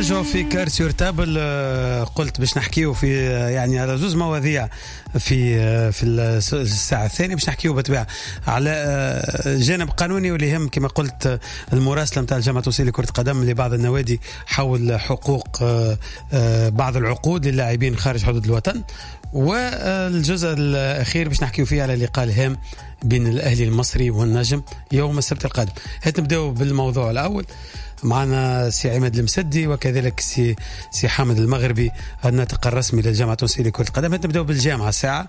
نرجعوا في Carte sur Table. قلت باش نحكيو في يعني على زوز مواضيع في الساعة الثانية. باش نحكيو بالطبيعة على جانب قانوني واللي يهم كما قلت المراسله نتاع الجامعة التونسية لكرة القدم لبعض النوادي حول حقوق بعض العقود للاعبين خارج حدود الوطن، والجزء الاخير باش نحكيو فيه على اللقاء الهام بين الاهلي المصري والنجم يوم السبت القادم. هات نبداو بالموضوع الاول. معنا سي عماد المسدي وكذلك سي حامد المغربي الناطق الرسمي للجامعة التونسية لكرة القدم. نبداو بالجامعة ساعة،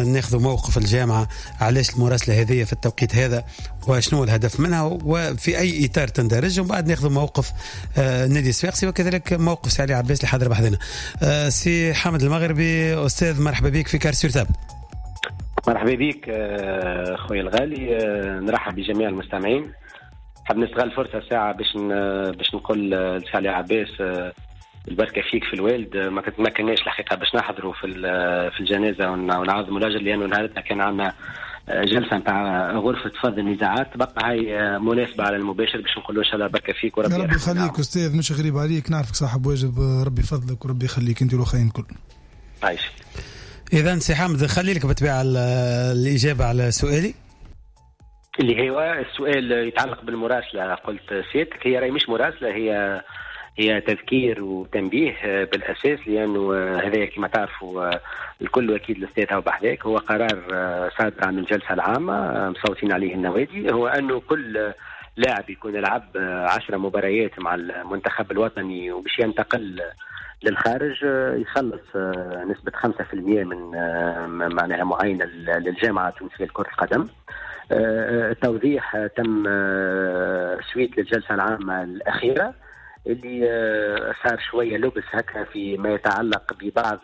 ناخذ موقف الجامعة، علاش المراسله هذه في التوقيت هذا وشنو الهدف منها وفي اي اطار تندرج، ومن بعد ناخذ موقف النادي الصفاقسي وكذلك موقف سي علي عباس اللي حاضر بحذنا. سي حامد المغربي استاذ، مرحبا بك في Carte sur Table. مرحبا بك خويا الغالي، نرحب بجميع المستمعين. حاب نستغل الفرصة ساعة باش نقول لسي علي عباس البركة فيك في الوالد. ما كناش الحقيقة باش نحضروا في الجنازة ونعظموا الاجر، لانه نهارتنا كان عندنا جلسه نتاع غرفة فض النزاعات. تبقى هاي مناسبة على المباشر باش نقولوا ان شاء الله بركة فيك وربي ربي يخليك استاذ، مش غريب عليك، نعرفك صاحب واجب، ربي يفضلك وربي يخليك انت والاخرين الكل. عايش. اذا سي حامد خلي لك بالطبيعة الاجابة على سؤالي اللي هو السؤال يتعلق بالمراسله. قلت سيادتك هي راهي مش مراسله، هي تذكير وتنبيه بالاساس، لانه هذا كما تعرفوا الكل واكيد الاستاذ هو بحذاك، هو قرار صادر عن الجلسة العامة مصوتين عليه النوادي، هو انه كل لاعب يكون لعب 10 مباريات مع المنتخب الوطني وباش ينتقل للخارج يخلص نسبه 5% من معناها معينة للجامعة التونسية لكرة القدم. التوضيح تم suite للجلسة العامة الأخيرة اللي صار شوية لبس هكا في ما يتعلق ببعض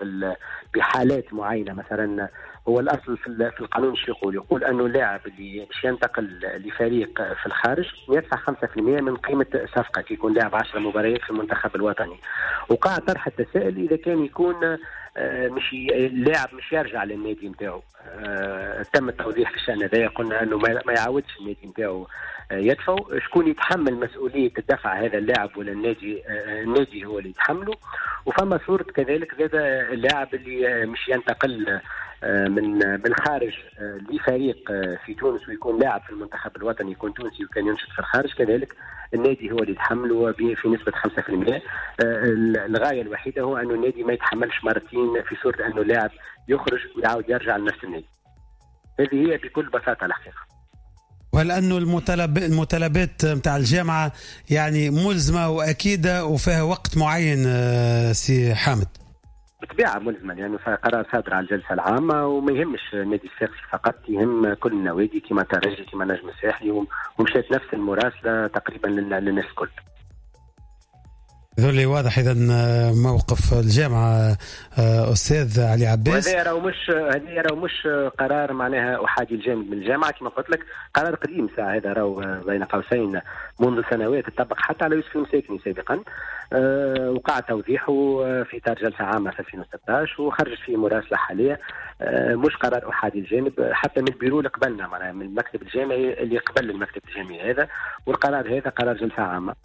بحالات معينة. مثلا هو الأصل في القانون شو يقول؟ يقول أنه اللاعب اللي باش ينتقل لفريق في الخارج يدفع 5% من قيمة صفقة كي يكون لاعب 10 مباريات في المنتخب الوطني. وقع طرح التساؤل إذا كان يكون مش اللاعب مش يرجع للنادي نتاعو. تم التوضيح في الشأن هذايا، قلنا أنه ما يعاودش النادي نتاعو يدفعوا. شكون يتحمل مسؤولية الدفع، هذا اللاعب ولا النادي؟ النادي هو اللي يتحمله. وفما صورة كذلك زاد اللاعب اللي مش ينتقل من الخارج لفريق في تونس ويكون لاعب في المنتخب الوطني، يكون تونسي وكان ينشط في الخارج، كذلك النادي هو اللي يتحمله في نسبة 5%. الغاية الوحيدة هو أنه النادي ما يتحملش مرتين في صورة أنه اللاعب يخرج ويعاود يرجع لنفس النادي. هذه هي بكل بساطة الحقيقة. وهل أنه المطالبات نتاع الجامعة يعني ملزمة وأكيدة وفيها وقت معين سي حامد؟ بالطبيعة ملزمة، لأنه يعني قرار صادر على الجلسة العامة وما يهمش النادي الصفاقسي فقط، يهم كل النوادي كما ترجي كما نجم الساحلي، ومشات نفس المراسلة تقريبا للناس الكل. ذولي واضح اذا موقف الجامعة استاذ علي عباس. هذا راهو مش قرار معناها احادي الجانب من الجامعة، كما قلت لك قرار قديم ساعة، هذا راهو بين قوسين منذ سنوات تطبق حتى على يوسف المساكني سابقا. وقع توضيحه في اطار جلسه عامة في 2016 وخرجت فيه مراسله حالية، مش قرار احادي الجانب حتى من البيرو اللي قبلنا، معناها من المكتب الجامعي اللي قبل المكتب الجامعي هذا، والقرار هذا قرار جلسه عامة.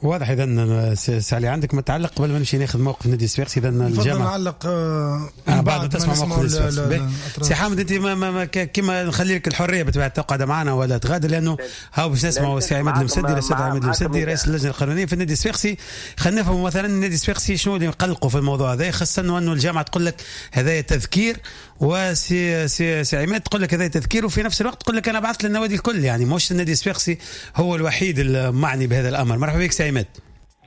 واضح اذا سي علي عندك متعلق قبل ما نمشي ناخذ موقف النادي الصفاقسي؟ اذا الجامعة نعلق بعد تسمع موقف النادي الصفاقسي. سي حامد انت ما كما نخلي لك الحرية بالطبيعة تقعد معنا ولا تغادر، لانه هاو باش نسمعوا سي عماد المسدي، الاستاذ عماد المسدي رئيس اللجنة القانونية في النادي الصفاقسي. خلينا نفهم مثلا النادي الصفاقسي شنو اللي يقلقوا في الموضوع هذا، خاصة انه الجامعة تقول لك هذا تذكير، وسي سي سي عماد تقول لك هذا تذكير، وفي نفس الوقت تقول لك انا بعثت للنوادي الكل، يعني مش النادي الصفاقسي هو الوحيد المعني بهذا الامر. مرحبا بك سي عماد.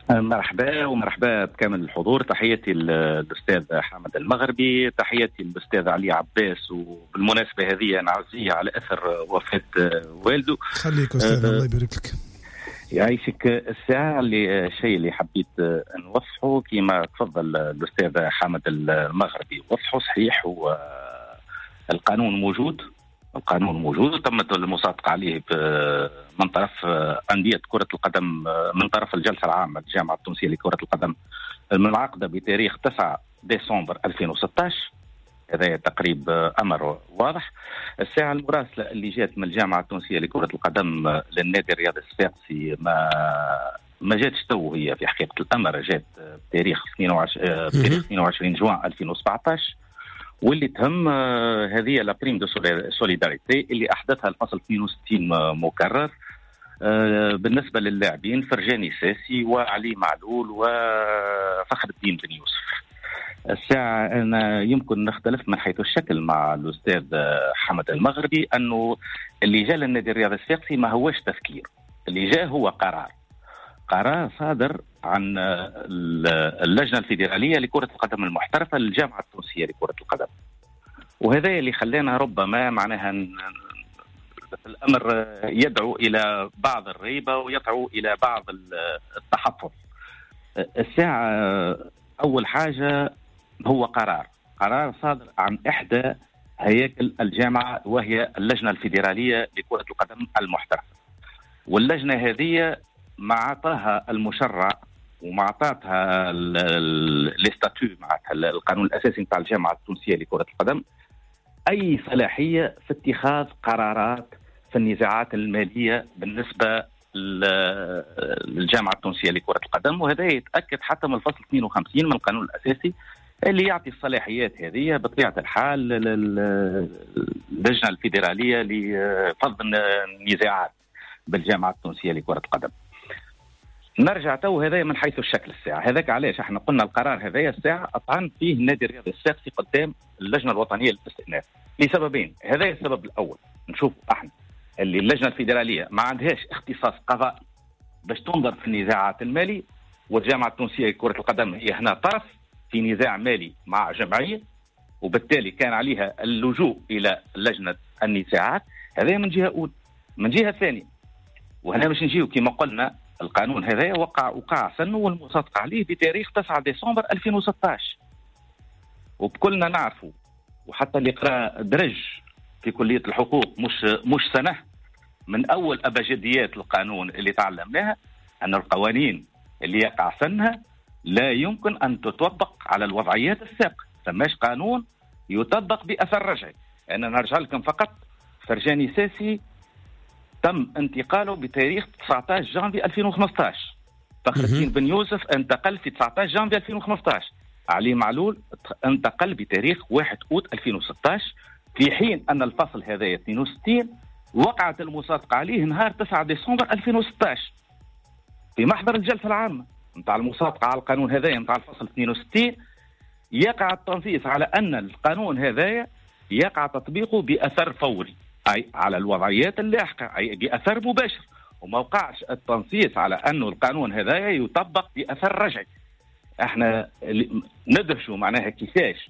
مرحبا ومرحبا بكامل الحضور. تحياتي للاستاذ حامد المغربي، تحياتي للاستاذ علي عباس، وبالمناسبة هذه نعزيه على اثر وفاه والده. خليك استاذ الله يبارك لك. يعيشك. الساعة اللي الشيء اللي حبيت نوضحه كما تفضل الاستاذ حامد المغربي وضحه صحيح، هو القانون موجود، القانون موجود وتمت المصادقة عليه من طرف أندية كرة القدم، من طرف الجلسة العامة للجامعة التونسية لكرة القدم المنعقدة بتاريخ 9 ديسمبر 2016. هذا تقريب أمر واضح. الساعة المراسلة اللي جات من الجامعة التونسية لكرة القدم للنادي الرياضي الصفاقسي ما ما جاتش تو، هي في حقيقة الامر جات بتاريخ 22 جوان 2017، واللي تهم هذه la prime de solidarité اللي احدثها الفصل 62 مكرر بالنسبة للاعبين فرجاني ساسي وعلي معلول وفخر الدين بن يوسف. الساعة أنا يمكن نختلف من حيث الشكل مع الأستاذ حمد المغربي، أنه اللي جاء للنادي الرياضي الصفاقسي ما هوش تفكير، اللي جاء هو قرار صادر عن اللجنة الفيدرالية لكرة القدم المحترفة للجامعة التونسية لكرة القدم، وهذا اللي خلانا ربما معناها الأمر يدعو إلى بعض الريبة ويدعو إلى بعض التحفظ. الساعة أول حاجة هو قرار صادر عن إحدى هياكل الجامعة وهي اللجنة الفيدرالية لكرة القدم المحترفة، واللجنة هذه ما عطاها المشرع وما عطاتها les statuts معناتها القانون الأساسي نتاع الجامعة التونسية لكرة القدم أي صلاحية في اتخاذ قرارات في النزاعات المالية بالنسبة للجامعة التونسية لكرة القدم. وهذا يتأكد حتى من الفصل 52 من القانون الأساسي اللي يعطي الصلاحيات هذه بطبيعة الحال للجنة الفيدرالية لفض النزاعات بالجامعة التونسية لكرة القدم. نرجع تو هذا من حيث الشكل الساعة، هذاك علاش احنا قلنا القرار هذايا الساعة أطعن فيه النادي الرياضي الصفاقسي قدام اللجنة الوطنية للاستئناف لسببين. هذا السبب الأول، نشوف احنا اللي اللجنة الفيدرالية ما عندهاش اختصاص قضائي باش تنظر في النزاعات المالية، والجامعة التونسية لكرة القدم هي هنا طرف في نزاع مالي مع جمعية، وبالتالي كان عليها اللجوء إلى لجنة النزاعات. هذا من جهة أولى. من جهة ثانية، وهنا باش نجيو كما قلنا القانون هذا وقع سنة والمصادقة عليه بتاريخ 9 ديسمبر 2016، وبكلنا نعرفوا وحتى اللي قرأ درج في كلية الحقوق مش سنة من أول أبجديات القانون اللي تعلمناها أن القوانين اللي يقع سنها لا يمكن أن تطبق على الوضعيات السابقة، فماش قانون يطبق بأثر رجعي. أنا نرجع لكم فقط، فرجاني ساسي تم انتقاله بتاريخ 19 جانفي 2015، فخر الدين بن يوسف انتقل في 19 جانفي 2015، علي معلول انتقل بتاريخ 1 أوت 2016، في حين أن الفصل هذا 62 وقعت المصادقة عليه نهار 9 ديسمبر 2016 في محضر الجلسة العامة نتاع المصادقة على القانون هذايا نتاع الفصل 62. يقع التنصيص على أن القانون هذايا يقع تطبيقه بأثر فوري، أي على الوضعيات اللاحقة، أي بأثر مباشر، وما وقعش التنصيص على أنه القانون هذايا يطبق بأثر رجعي. احنا ندرسوا معناها كيفاش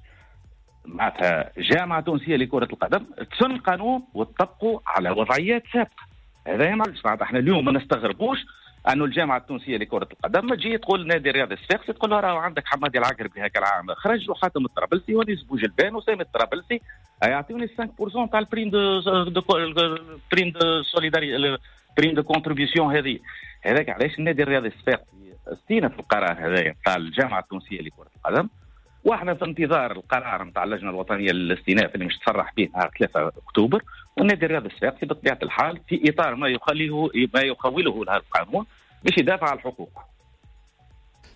معناتها جامعة تونسية لكرة القدم تسن قانون وتطبقه على وضعيات سابقة. هذا معلش معناتها احنا اليوم ما نستغربوش أنه الجامعة التونسية لكرة القدم ما تجي تقول نادي الرياضي الصفاقسي تقول له راهو عندك حمادي العقربي هكا العام خرج وحاتم الطرابلسي ونيس بوجلبان وسامي الطرابلسي يعطيوني 5% تاع ال prime de prime de solidarité prime de contribution هذه. هذاك علاش النادي الرياضي الصفاقسي استئنف القرار هذايا تاع الجامعة التونسية لكرة القدم، واحنا في انتظار القرار نتاع اللجنة الوطنية للاستئناف اللي مش تصرح به نهار 3 اكتوبر. والنادي الرياضي الصفاقسي بطبيعة الحال في اطار ما يخوله لهذا القانون باش يدافع على الحقوق.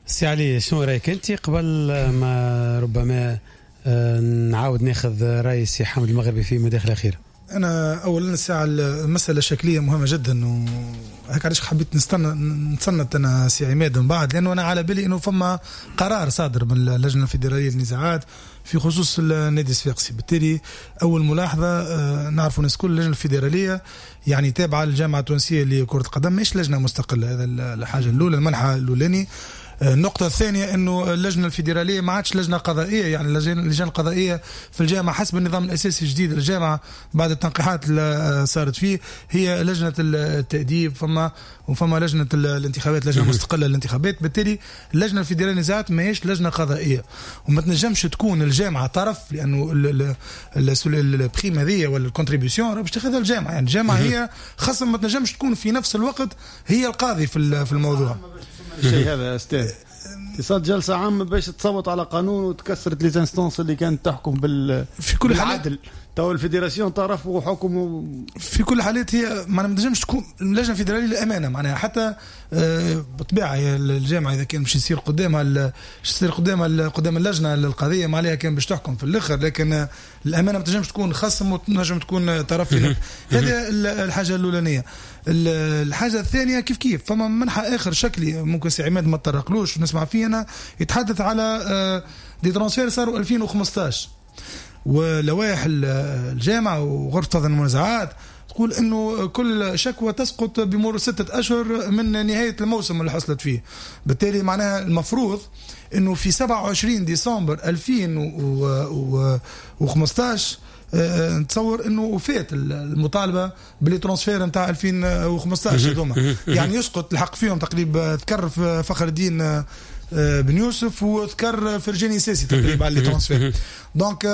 سي علي، شنو رايك انت قبل ما ربما نعاود ناخذ راي سي حامد المغربي في مداخله اخيرة؟ انا اولا الساعة المسالة الشكليه مهمة جدا، وهيك علاش حبيت نستنى انا سي عماد من بعد، لانه انا على بالي انه فما قرار صادر من اللجنة الفيدرالية للنزاعات في خصوص النادي الصفاقسي. بالتالي اول ملاحظة، نعرفوا الناس كل اللجنة الفيدرالية يعني تابعه للجامعة التونسية لكرة القدم، مش لجنة مستقلة. هذا الحاجة الاولى، المنحى الاولاني. النقطة الثانية أنه اللجنة الفيدرالية ما عادش لجنة قضائية، يعني اللجان القضائية في الجامعة حسب النظام الأساسي الجديد للجامعة بعد التنقيحات اللي صارت فيه هي لجنة التأديب، وفما لجنة الانتخابات، لجنة مستقلة للانتخابات. بالتالي اللجنة الفيدرالية للنزاعات ما هيش لجنة قضائية، وما تنجمش تكون الجامعة طرف، لأنه ال prime هذه ولا ال contribution باش تاخذها الجامعة، يعني الجامعة هي خصم، ما تنجمش تكون في نفس الوقت هي القاضي في الموضوع. الشيء هذا استاذ صارت جلسه عامة باش تصوت على قانون وتكسرت les instances اللي كانت تحكم في كل بالعدل. تو ال fédération طرف وحكم في كل الحالات، هي ما تنجمش تكون اللجنة الفيدرالية للامانة، معناها حتى بالطبيعة الجامعة اذا كان باش يصير قدامها يصير قدام اللجنة القضية ما عليها كان باش تحكم في الاخر، لكن الامانة ما تنجمش تكون خصم وتنجم تكون طرف. هذه الحاجة الاولانية. الحاجة الثانية كيف كيف فما منحى اخر شكلي ممكن سي عماد ما تطرقلوش ونسمع فيه انا، يتحدث على des transferts صاروا 2015 ولوائح الجامعة وغرفه فض المنازعات تقول انه كل شكوى تسقط بمرور 6 اشهر من نهاية الموسم اللي حصلت فيه. بالتالي معناها المفروض انه في 27 ديسمبر 2015 نتصور انه وفات المطالبة ب les transferts نتاع 2015 هذوما، يعني يسقط الحق فيهم تقريبا. ذكر فخر الدين بن يوسف وذكر فرجاني ساسي تقريبا على les transferts. donc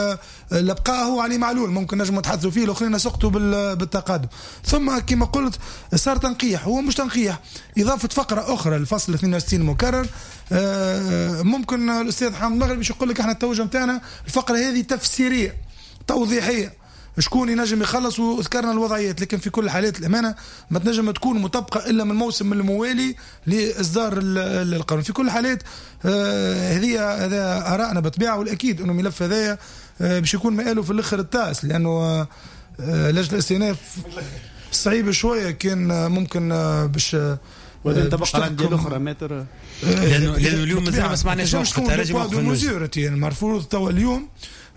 الابقاء هو علي معلول ممكن نجم نتحدثوا فيه، الاخرين سقطوا بالتقادم. ثم كما قلت صار تنقيح، هو مش تنقيح، اضافه فقره اخرى للفصل 62 مكرر. ممكن الاستاذ حامد المغربي باش يقول لك احنا التوجه نتاعنا الفقرة هذه تفسيرية توضيحيه، شكون ينجم يخلص، وذكرنا الوضعيات. لكن في كل الحالات الامانة ما تنجم تكون مطبقه الا من الموسم الموالي لاصدار القانون. في كل الحالات هذه هذا ارائنا بالطبيعة، والاكيد انه الملف هذايا باش يكون مآله في الاخر التاس، لانه لجنة الاستئناف صعيب شوية، كان ممكن باش وبعدين تبقى الاندية الاخرى متر، لانه اليوم مازال ما سمعناش موقف الترجي موقف المفروض تو اليوم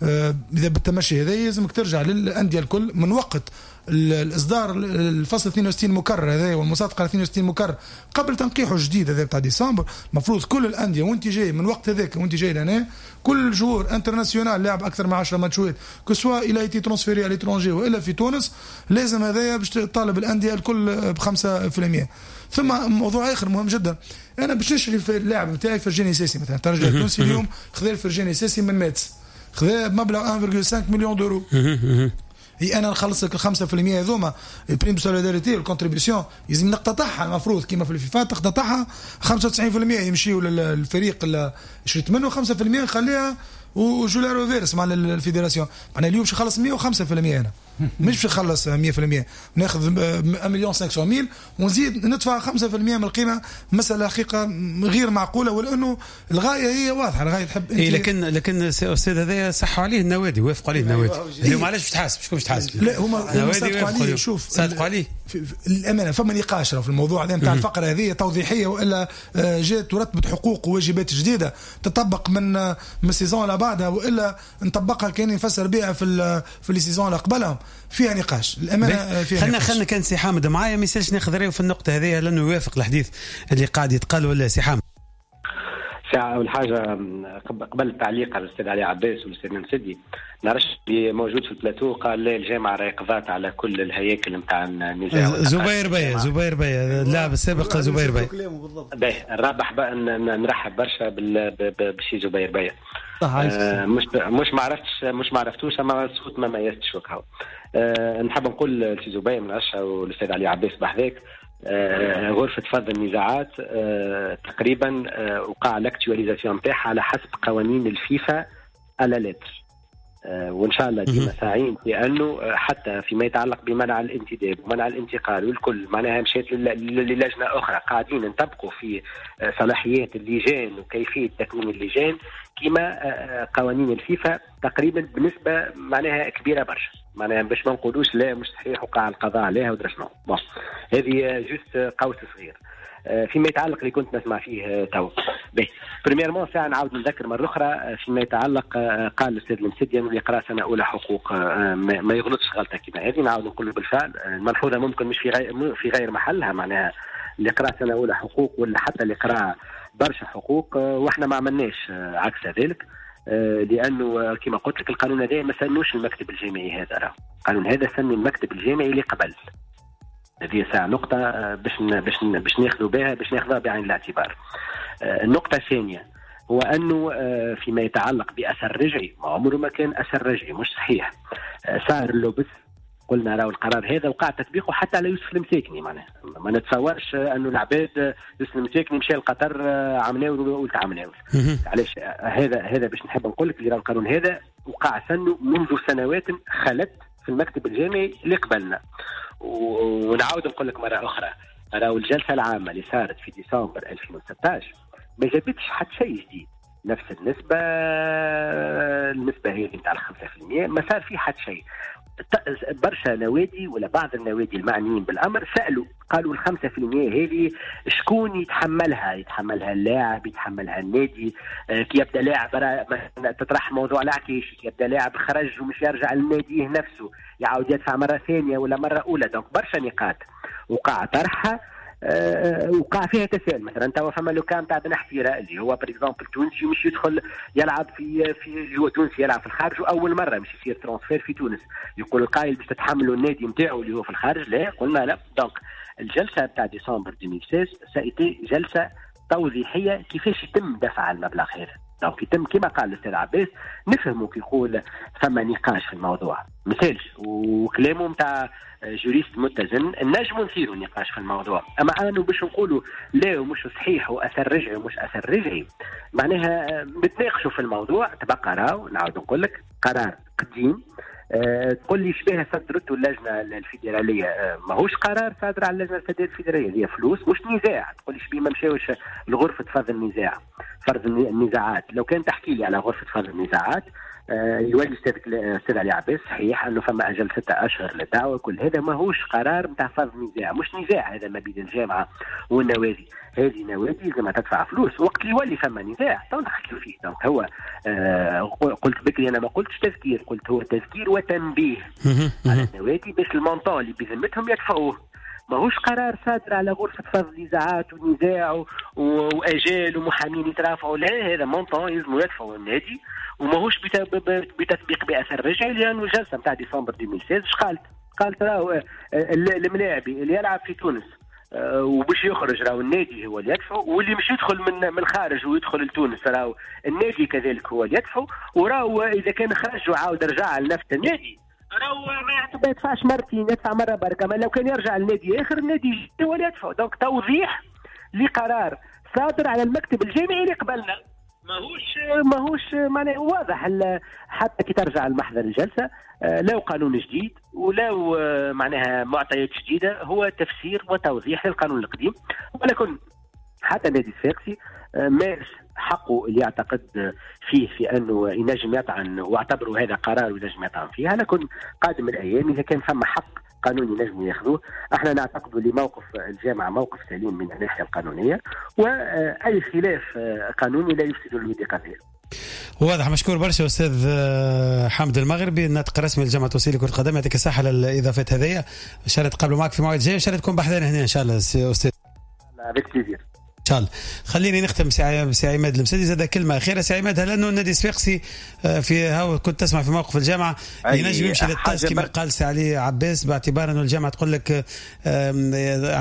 اذا بالتمشي هذا لازمك ترجع للاندية الكل من وقت الاصدار الفصل 62 مكرر هذا والمصادقه 62 مكرر قبل تنقيحه الجديد هذا بتاع ديسمبر. المفروض كل الاندية وانت جاي من وقت هذاك وانت جاي لهنا كل joueur international لاعب اكثر من 10 ماتشات que ce soit il a été transféré à l'étranger والا في تونس، لازم هذايا باش تطالب الاندية الكل ب 5%. ثم موضوع اخر مهم جدا، انا باش نشري اللاعب نتاعي فرجاني ساسي مثلا، الترجي التونسي اليوم خذا الفرجاني ساسي من ماتس، خذا بمبلغ 1.5 million d'euros. هي انا نخلص لك 5% هذوما ال prime solidarité وال contribution لازم نقتطعها، المفروض كيما في الفيفا تقتطعها 95% يمشيوا للفريق اللي شريت منه، 5% نخليها و je la reverse مع ال fédération. معناها اليوم باش نخلص 105% انا مش باش نخلص 100%، ناخذ 1,5 مليون ونزيد ندفع 5% من القيمة. مسالة حقيقة غير معقولة، ولانه الغاية هي واضحة، الغاية تحب انت. إيه لكن استاذ هذا صحوا عليه النوادي، وافقوا عليه النوادي. اليوم علاش باش تحاسب؟ شكون باش تحاسب؟ لا هما صادقوا عليه. شوف صادقوا عليه الامانة، فما نقاش في الموضوع هذا نتاع الفقرة هذه توضيحيه والا جات ورتبت حقوق وواجبات جديدة تطبق من ال saison اللي بعدها، والا نطبقها كان نفسر بها في les saisons اللي قبلهم. فيها نقاش الامانة، فيها خلنا نقاش. خلنا كان سي حامد معايا ما يسالش ناخذ رايه في النقطة هذه لانه يوافق الحديث اللي قاعد يتقال ولا سي حامد؟ ساعة أول حاجة قبل التعليق على الأستاذ علي عباس والأستاذ المسدي، نعرفش اللي موجود في البلاتو قال لا الجامعة راهي قضات على كل الهياكل نتاع النزاع. زبير بيا، زبير بيا اللاعب السابق زبير بيا. باهي نربح نرحب برشا بسي زبير بيا. مش ما عرفتش، مش ما عرفتوش، اما الصوت ما ميزتش وكهو. نحب نقول لسي زبير من عشا والاستاذ علي عباس بحذاك، غرفة فض النزاعات تقريبا وقع l'actualisation نتاعها على حسب قوانين الفيفا à la lettre، وان شاء الله ديما ساعين في انه حتى فيما يتعلق بمنع الانتداب ومنع الانتقال والكل معناها مشيت للجنة اخرى، قاعدين نطبقوا في صلاحيات اللجان وكيفية تكوين اللجان كما قوانين الفيفا تقريبا بنسبة معناها كبيرة برشا، معناها باش ما نقولوش لا مش صحيح وقع القضاء عليها ودرا شنو. bon هذه juste قوس صغير. فيما يتعلق اللي كنت نسمع فيه تو، باهي premièrement ساعة نعاود نذكر مرة اخرى فيما يتعلق، قال الاستاذ المسدي انه اللي يقرا سنة اولى حقوق ما يغلطش غلطه كما هذه. نعاود نقول بالفعل الملحوظة ممكن مش في غير محلها، معناها اللي قرا سنة اولى حقوق ولا حتى اللي قرا برشا حقوق، واحنا ما عملناش عكس ذلك، لانه كما قلت لك القانون هذا ما سنوش المكتب الجامعي، هذا راه القانون هذا سن المكتب الجامعي اللي قبل. هذه ساعة نقطة باش باش باش ناخذوا بها، باش ناخذها بعين الاعتبار. النقطة الثانية هو أنه فيما يتعلق بأثر رجعي، ما عمره ما كان أثر رجعي، مش صحيح. صار اللبس قلنا راهو القرار هذا وقع تطبيقه حتى على يوسف المساكني، معناها ما نتصورش انه العباد يوسف المساكني مشى لقطر عمناول وقلت عمناول. علاش هذا باش نحب نقول لك اللي القانون هذا وقع سنة منذ سنوات خلت في المكتب الجامعي اللي قبلنا. ونعاود نقول لك مرة اخرى، راهو الجلسة العامة اللي صارت في ديسمبر 2016 ما جابتش حتى شيء جديد، نفس النسبة هي نتاع 5%، ما صار فيه حتى شيء. برشا نوادي ولا بعض النوادي المعنيين بالامر سالوا، قالوا 5% هذه شكون يتحملها؟ يتحملها اللاعب، يتحملها النادي؟ كي يبدا لاعب تطرح موضوع العكيش، كي يبدا لاعب خرج ومش يرجع للنادي نفسه يعاود يدفع مرة ثانية ولا مرة اولى. donc برشا نقاط وقع طرحها، وقع فيها تساؤل. مثلا توا فما le cas تاع بن حفيره اللي هو par exemple تونسي مش يدخل يلعب في هو تونسي يلعب في الخارج واول مرة مش يصير transfert في تونس، يقول القائل باش تتحملوا النادي نتاعو اللي هو في الخارج؟ لا، قلنا لا. donc الجلسة تاع ديسمبر 2016 ça a été جلسه توضيحيه كيفاش يتم دفع المبلغ هذا. donc يتم كما قال الاستاذ عباس، نفهموا كي يقول فما نقاش في الموضوع، مثالش وكلامه نتاع juriste متزن، نجموا نثيروا نقاش في الموضوع. اما انه باش نقولوا لا ومش صحيح واثر رجعي ومش اثر رجعي، معناها نتناقشوا في الموضوع. تبقى راهو نعاود نقول لك قرار قديم. تقول لي شبيه صدرته اللجنة الفيدرالية، ماهوش قرار صادر على اللجنة الفيدرالية، هي فلوس مش نزاع. تقول لي شبيه ما مشاوش لغرفة فرض النزاع، فرض النزاعات. لو كان تحكي لي على غرفة فرض النزاعات يولي الاستاذ علي عباس صحيح انه فما اجل 6 اشهر للدعوة، كل هذا ماهوش قرار نتاع فرض نزاع، مش نزاع هذا ما بين الجامعة والنوادي. هذه نوادي لازم تدفع فلوس، وقت اللي يولي فما نزاع تو نحكيو فيه. donc هو قلت بكري انا ما قلتش تذكير، قلت هو تذكير وتنبيه على النوادي باش ال montant اللي بذمتهم يدفعوه. ماهوش قرار صادر على غرفة فرض نزاعات ونزاع وأجال ومحامين يترافعوا، لا، هذا montant يلزموا يدفعوا النادي، وماهوش بتطبيق بأثر رجعي. لأنه الجلسة نتاع ديسمبر 2016 اش قالت؟ قالت راهو الملاعبي اللي يلعب في تونس وباش يخرج راهو النادي هو اللي يدفعه، واللي مش يدخل من الخارج ويدخل لتونس راهو النادي كذلك هو اللي يدفعه، وراهو إذا كان خرج وعاود رجع لنفس النادي راهو ما يدفعش مرتين، يدفع مرة بركة. ما لو كان يرجع لنادي اخر النادي هو اللي يدفع. donc توضيح لقرار صادر على المكتب الجامعي اللي قبلنا، ماهوش معناه واضح. حتى كي ترجع المحضر الجلسة لا قانون جديد ولا معناها معطيات جديدة، هو تفسير وتوضيح للقانون القديم. ولكن حتى النادي الصفاقسي مارس حقه اللي يعتقد فيه في انه ينجم يطعن، واعتبروا هذا قرار وينجم يطعن فيه. لكن قادم الايام اذا كان فما حق قانوني نجم ياخذوه، احنا نعتقد اللي موقف الجامعة موقف سليم من الناحية القانونية، واي خلاف قانوني لا يفسد الود قضية. واضح. مشكور برشا استاذ حامد المغربي، الناطق الرسمي للجامعة التونسية لكرة القدم، يعطيك الصحة على الاضافات هذيا. ان شاء الله تقابلوا معك في موعد جاي، ان شاء الله تكون بحذانا هنا ان شاء الله استاذ. avec plaisir. ان شاء الله. خليني نختم سي عماد المسدي، زاد كلمة اخيرة سي عماد. هل انه النادي الصفاقسي في هاو كنت تسمع في موقف الجامعة ينجم يمشي للتاس كما قال سي علي عباس، باعتبار انه الجامعة تقول لك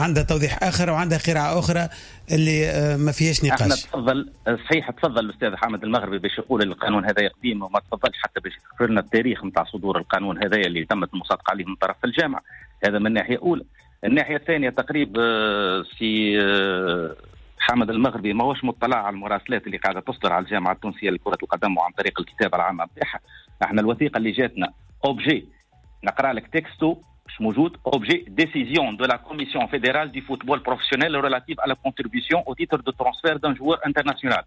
عندها توضيح اخر وعندها قراءة اخرى اللي ما فيهاش نقاش. احنا تفضل صحيح، تفضل الاستاذ حامد المغربي باش يقول القانون هذا قديم، وما تفضلش حتى باش يذكر لنا التاريخ نتاع صدور القانون هذا اللي تمت المصادقة عليه من طرف الجامعة. هذا من ناحية اولى. الناحية الثانية تقريب سي حامد المغربي ما هوش مطلع على المراسلات اللي قاعدة تصدر على الجامعة التونسية لكرة القدم وعن طريق الكتابة العامة نتاعها. احنا الوثيقة اللي جاتنا objet، نقرا لك texto مش موجود، objet décision de la commission fédérale du football professionnel relative à la contribution au titre de transfert d'un joueur international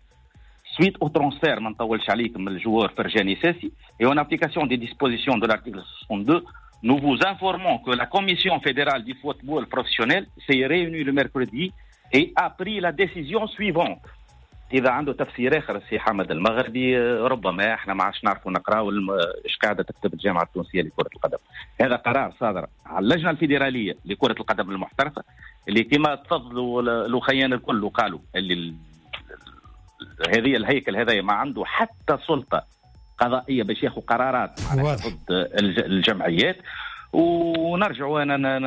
suite au transfert، ما نطولش عليكم، من ال joueur فرجاني ساسي، et en application des dispositions de l'article 62 nous vous informons que la commission fédérale du football professionnel s'est réunie le mercredi et a pris la décision suivante. إذا عنده تفسير آخر سي حامد المغربي ربما احنا ما عادش نعرفوا نقراو ايش قاعدة تكتب الجامعة التونسية لكرة القدم. هذا قرار صادر على اللجنة الفيدرالية لكرة القدم المحترفة اللي كما تفضلوا الأخيان الكل وقالوا اللي هذه الهيكل هذا ما عنده حتى سلطة قضائية باش ياخذ قرارات ضد الجمعيات. ونرجع انا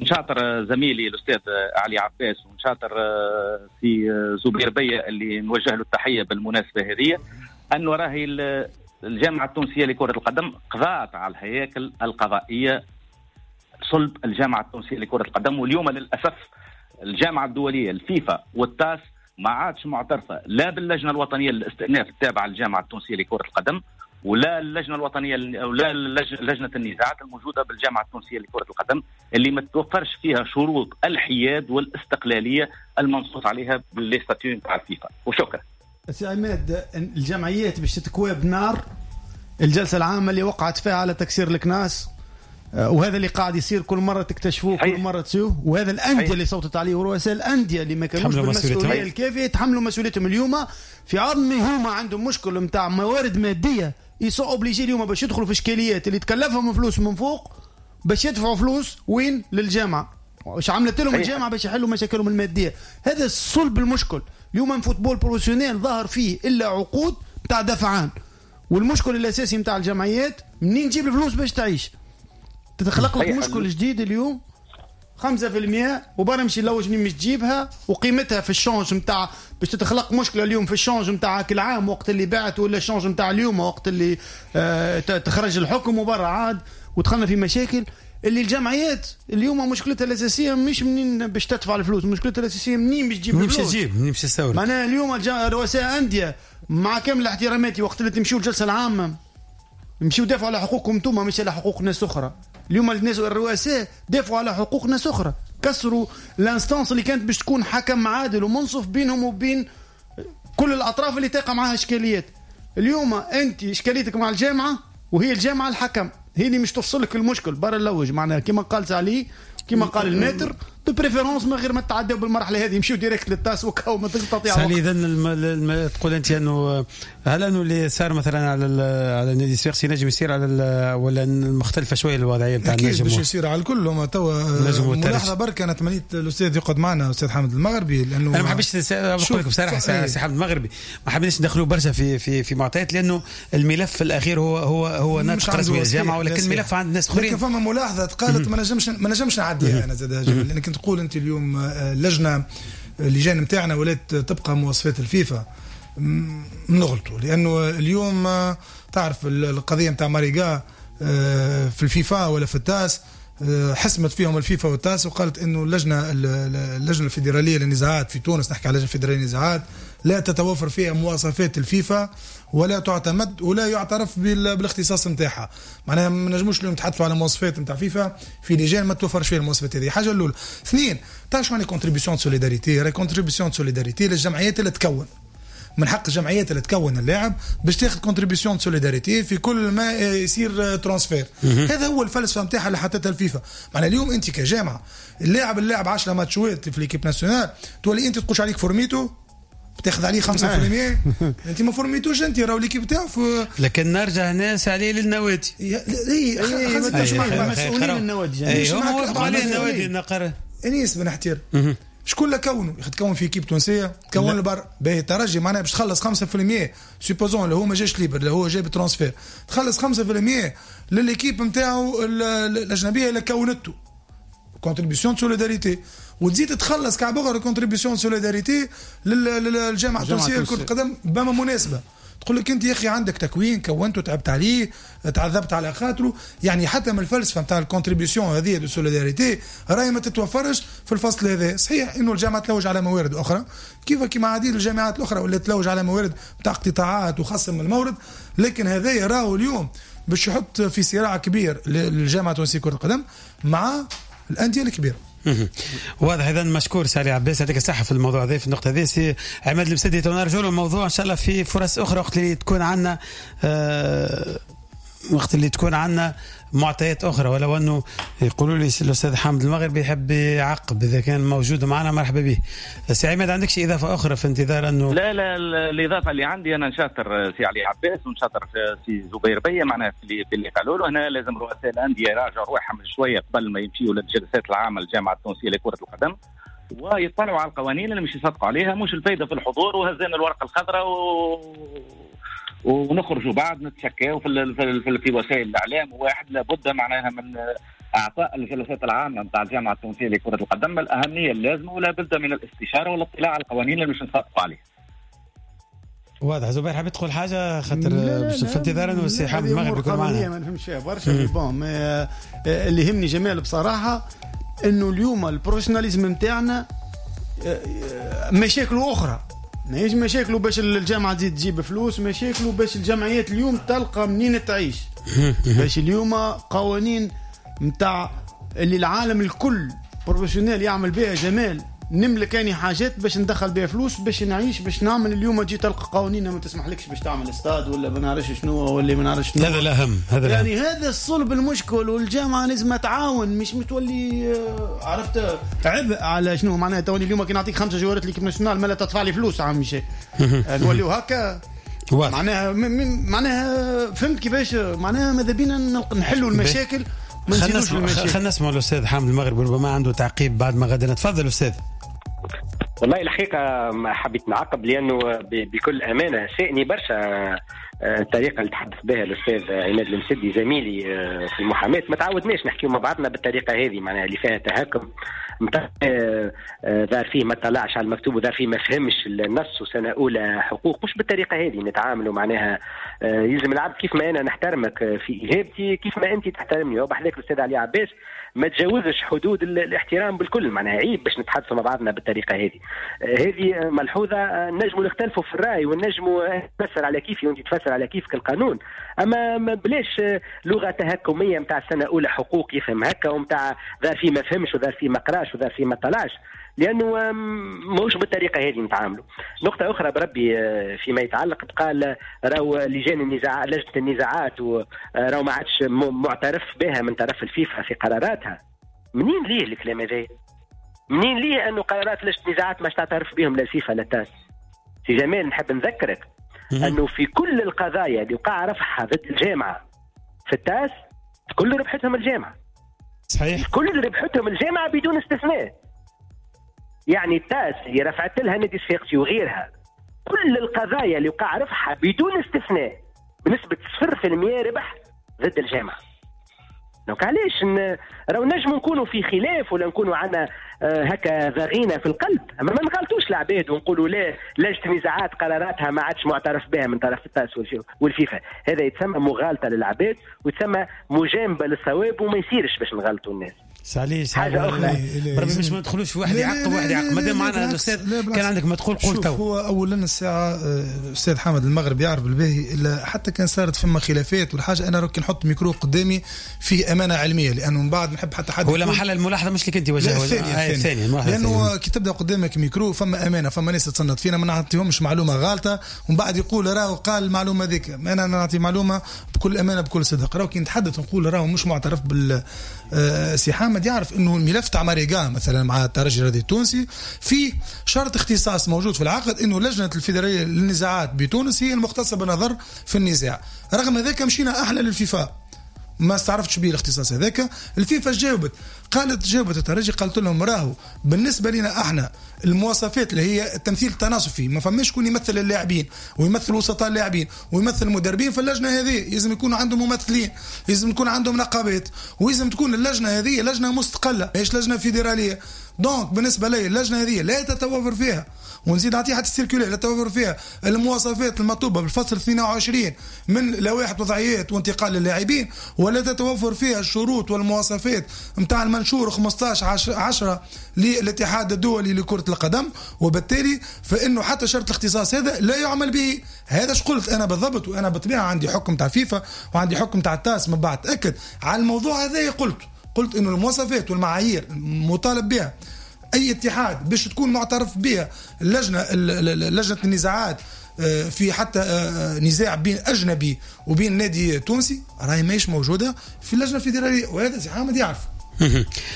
نشاطر زميلي الاستاذ علي عباس ونشاطر سي زبير بيا اللي نوجه له التحية بالمناسبة هذه، انه راهي الجامعة التونسية لكرة القدم قضات على الهياكل القضائية صلب الجامعة التونسية لكرة القدم. واليوم للاسف الجامعة الدولية الفيفا والتاس ما عادش معترفة لا باللجنه الوطنية للاستئناف التابعة للجامعة التونسية لكرة القدم، ولا اللجنة الوطنية ولا لجنة النزاعات الموجودة بالجامعة التونسية لكرة القدم، اللي ما توفرش فيها شروط الحياد والاستقلاليه المنصوص عليها بال les statuts نتاع الفيفا. وشكرا. سي عماد، الجمعيات باش تتكوى بنار الجلسة العامة اللي وقعت فيها على تكسير الكناس، وهذا اللي قاعد يصير كل مرة تكتشفوه، كل مرة تسيوه، وهذا الاندية اللي صوتت عليه ورؤساء الاندية اللي ما كانوش بالمسؤولية الكافيه يتحملوا مسؤوليتهم. اليوم في عظم هما عندهم مشكل نتاع موارد مادية، ils sont obligés اليوم باش يدخلوا في اشكاليات اللي تكلفهم فلوس من فوق باش يدفعوا فلوس وين للجامعة. واش عملت لهم الجامعة باش يحلوا مشاكلهم المادية؟ هذا صلب المشكل. اليوم football professionnel ظهر فيه الا عقود نتاع دفعان، والمشكل الاساسي نتاع الجمعيات منين تجيب الفلوس باش تعيش. تتخلق لك مشكل جديد اليوم 5% وبرا مشي لوج منين مش تجيبها وقيمتها في ال change نتاع باش تتخلق مشكلة اليوم في ال change نتاع كل عام وقت اللي بعت، ولا ال change نتاع اليوم وقت اللي تخرج الحكم وبرا عاد، ودخلنا في مشاكل اللي الجمعيات اليوم مشكلتها الاساسية مش منين باش تدفع الفلوس، مشكلتها الاساسية منين باش تجيب الفلوس، منين باش تجيب، منين باش تستورد. معناها اليوم رؤساء اندية مع كامل احتراماتي وقت اللي تمشيو الجلسة العامة مشيو دافعوا على حقوقكم انتم مش على حقوق ناس اخرى. اليوم الناس الرؤساء دافعوا على حقوق ناس اخرى، كسروا l'instance اللي كانت باش تكون حكم عادل ومنصف بينهم وبين كل الاطراف اللي تقع معها اشكاليات. اليوم انت اشكاليتك مع الجامعة، وهي الجامعة الحكم، هي اللي مش تفصلك المشكل برا اللوج. معناها كما قال علي، كما قال ال maître de préférence من غير ما تعداو بالمرحلة هذه، يمشيو direct للتاس وكاو ما تقطع. سالي اذا تقول انت انه هل انه اللي صار مثلا على النادي الصفاقسي نجم يصير على ولا مختلفة شوية الوضعية نتاع النجم؟ باش يصير على الكل. هما توا ملاحظة برك، انا تمنيت الاستاذ يقعد معنا الاستاذ حامد المغربي، لانه انا ما حبيتش نقول لك بصراحة سي حامد المغربي ما حبيناش ندخلوا برشا في في في معطيات، لانه الملف الاخير هو هو هو ناطق رسمي الجامعة، ولكن الملف عند ناس اخرين. لكن فما ملاحظة قالت ما نجمش نعديها انا زاد، لانك تقول انت اليوم اللجنة اللجان نتاعنا ولات تبقى مواصفات الفيفا، نغلطوا، لانه اليوم تعرف القضية نتاع ماريغا في الفيفا ولا في التاس، حسمت فيهم الفيفا والتاس وقالت انه اللجنة الفيدرالية للنزاعات في تونس، نحكي على اللجنة الفيدرالية للنزاعات، لا تتوفر فيها مواصفات الفيفا ولا تعتمد ولا يعترف بالاختصاص نتاعها. معناها ما نجموش اليوم نتحدثوا على مواصفات نتاع فيفا في لجان ما توفرش فيها المواصفات هذه. حاجة الاولى. اثنين، تعرف شو يعني contribution solidarité؟ راهي contribution solidarité للجمعيات اللي تكون، من حق الجمعيات اللي تكون اللاعب باش تاخذ contribution solidarité في كل ما يصير transfert. هذا هو الفلسفة نتاعها اللي حطتها الفيفا. معناها اليوم انت كجامعه اللاعب 10 ماتشات في l'équipe nationale، تولي انت تقولش عليك فورميتو بتاخذ عليه 5%، انت ما فورميتوش، انت راهو l'équipe تاعو. لكن نرجع ناس عليه للنوادي، اي مسؤولين النوادي، هم وافقوا عليه النوادي النقره. انيس بن حتير شكون اللي كونه؟ تكون في équipe تونسية، تكون البر باهي الترجي، معناها باش تخلص 5% supposons اللي هو ما جاش libre، اللي هو جاب transfert، تخلص 5% لل équipe نتاعو الاجنبية اللي كونته contribution solidarité، وتزيد تخلص كعب اخر contribution solidarité للجامعة التونسية لكرة القدم بما مناسبة. تقول لك انت يا اخي عندك تكوين كونته تعبت عليه تعذبت على خاطره، يعني حتى من الفلسفة نتاع ال contribution هذه de solidarité راهي ما تتوفرش في الفصل هذا. صحيح انه الجامعة تلوج على موارد اخرى كيف كيما عديد الجامعات الاخرى ولا تلوج على موارد نتاع اقتطاعات وخصم المورد، لكن هذا راهو اليوم باش يحط في صراع كبير للجامعة التونسية كره القدم مع الاندية الكبيرة. واضح. اذا مشكور سالي عباس، يعطيك الصحة في الموضوع هذا في النقطة هذه. سي عماد المسدي، نرجعوا له الموضوع ان شاء الله في فرص اخرى وقت اللي تكون عندنا وقت اللي تكون عندنا معطيات اخرى، ولو انه يقولوا لي الاستاذ حامد المغربي يحب يعقب، اذا كان موجود معنا مرحبا به. سي عماد عندك شي اضافه اخرى في انتظار انه؟ لا لا، الاضافة اللي عندي انا نشاطر سي علي عباس ونشاطر سي زبير بيه، معناها في اللي قالوا له هنا لازم رؤساء الاندية يراجعوا رواحهم شوية قبل ما يمشيوا للجلسات العامة للجامعة التونسية لكرة القدم، ويطلعوا على القوانين اللي مش يصدقوا عليها، مش الفايدة في الحضور وهزينا الورقة الخضراء ونخرجوا بعد نتشكاو في في وسائل الاعلام. واحد لابد معناها من اعطاء الجلسات العامة نتاع الجامعة التونسية لكرة القدم الاهمية اللازمة، ولا بد من الاستشارة والاطلاع على القوانين اللي مش نصدقوا عليها. واضح. زبير حبيت تقول حاجة خاطر في انتظار انه السي حامد المغرب يكون معنا. ما نفهمش فيها برشا bon، اللي يهمني جمال بصراحة انه اليوم ال professionnalisme نتاعنا مشاكله اخرى، ماهيش مشاكله باش الجامعة تزيد تجيب فلوس، مشاكله باش الجمعيات اليوم تلقى منين تعيش، باش اليوم قوانين نتاع اللي العالم الكل professionnel يعمل بها جمال، نملك اني حاجات باش ندخل بها فلوس باش نعيش باش نعمل. اليوم تجي تلقى قوانين ما تسمحلكش باش تعمل استاد ولا ما نعرفش شنو ولا ما نعرفش شنو. هذا الاهم، هذا يعني الأهم. هذا الصلب المشكل، والجامعة لازم تعاون، مش متولي عرفت عبء على شنو معناها. تولي اليوم كي نعطيك 5 جوارات l'équipe nationale ما لا تدفع لي فلوس عم شيء نوليو هكا معناها معناها فهمت كيفاش معناها. ماذا بينا نحلوا المشاكل. خلينا نسمع الأستاذ حامد المغرب ربما عنده تعقيب بعد ما غدا. تفضل أستاذ. والله الحقيقة ما حبيت نعقب لأنه بكل أمانة سائني برشا الطريقة اللي تحدث بها الأستاذ عماد المسدي زميلي في المحاماة. ما تعودناش نحكيو مع بعضنا بالطريقة هذه، معناها اللي فيها تهكم ظهر فيه ما طلعش على المكتوب وظهر فيه ما فهمش النص وسنة أولى حقوق. مش بالطريقة هذه نتعاملوا، معناها يلزم العبد كيف ما أنا نحترمك في إجابتي كيف ما أنت تحترمني. وبحذاك الأستاذ علي عباس ما تجاوزش حدود الاحترام بالكل، معناها عيب باش نتحدثوا مع بعضنا بالطريقة هذه. هذه ملحوظة، نجموا نختلفوا في الرأي ونجموا نفسر على كيفي وأنت تفسر على كيفك القانون، أما بلاش لغة تهكمية متاع سنة أولى حقوق يفهم هكا ومتاع ذا فيه ما فهمش وذا فيه ما قراش وذا فيه ما طلعش، لأنه ماهوش بالطريقة هذه نتعاملوا. نقطة أخرى بربي فيما يتعلق قال راهو لجان النزاع، لجنة النزاعات راهو ما عادش معترف بها من طرف الفيفا في قراراتها. منين ليه الكلام هذا؟ منين ليه أنه قرارات لجنة النزاعات ما تعترف بهم لا الفيفا لا التاس؟ سي جمال نحب نذكرك أنه في كل القضايا اللي وقع رفعها ضد الجامعة في التاس كل ربحتهم الجامعة. صحيح، كل ربحتهم الجامعة بدون استثناء. يعني التاس اللي رفعت لها نادي الصفاقسي وغيرها كل القضايا اللي وقع رفعها بدون استثناء بنسبة 0% ربح ضد الجامعة. donc علاش راهو نجموا نكونوا في خلاف ولا نكونوا عندنا هكا ضغينة في القلب، اما ما نغلطوش العباد ونقولوا لا لجنة النزاعات قراراتها ما عادش معترف بها من طرف التاس والفيفا. هذا يتسمى مغالطة للعباد ويتسمى مجانبة للصواب، وما يصيرش باش نغلطوا الناس. سالي حاجة أخرى بربي مش ما ندخلوش في واحد يعقب واحد يعقب. مادام معنا الأستاذ كان عندك ما تقول قول تو. هو أولا الساعة الأستاذ حامد المغرب يعرف بالباهي إلا حتى كان صارت فما خلافات والحاجة، أنا كي نحط ميكرو قدامي فيه أمانة علمية، لأنه من بعد نحب حتى حد ولا محل الملاحظة مش لك أنت وجهها الثانية، لأنه كي تبدأ قدامك ميكرو فما أمانة، فما ناس تصنت فينا، ما نعطيهمش معلومة غالطة ومن بعد يقول راهو قال المعلومة ذيك. أنا نعطي معلومة بكل أمانة بكل صدق. راهو كي نتحدث نقول راهو مش معترف بال سي حامد يعرف انه الملف تاع ماريغا مثلا مع الترجي الرياضي التونسي في شرط اختصاص موجود في العقد انه لجنة الفيدرالية للنزاعات بتونس هي المختصة بالنظر في النزاع. رغم ذلك مشينا احنا للفيفا ما استعرفتش به الاختصاص هذاك. الفيفا جاوبت، قالت جاوبت الترجي قالت لهم راهو بالنسبة لنا احنا المواصفات اللي هي التمثيل التناصفي، ما فماش شكون يمثل اللاعبين ويمثل وسطاء اللاعبين ويمثل المدربين في اللجنة هذه، لازم يكون عندهم ممثلين، لازم يكون عندهم نقابات، ولازم تكون اللجنة هذه لجنة مستقلة ماهيش لجنة فيدرالية. donc بالنسبة لي اللجنة هذه لا تتوفر فيها، ونزيد نعطيها حتى ال circulaire، لا تتوفر فيها المواصفات المطلوبة بالفصل 22 من لوائح وضعيات وانتقال اللاعبين، ولا تتوفر فيها الشروط والمواصفات نتاع المنشور 15/10 للاتحاد الدولي لكرة القدم، وبالتالي فإنه حتى شرط الاختصاص هذا لا يعمل به. هذا اش قلت أنا بالضبط، وأنا بالطبيعة عندي حكم تاع فيفا وعندي حكم تاع التاس من بعد تأكد على الموضوع هذا. قلت إنه المواصفات والمعايير مطالب بها أي اتحاد باش تكون معترف بها اللجنة، لجنة النزاعات في حتى نزاع بين أجنبي وبين نادي تونسي راهي ماهيش موجودة في اللجنة الفيدرالية، وهذا سي حامد يعرف.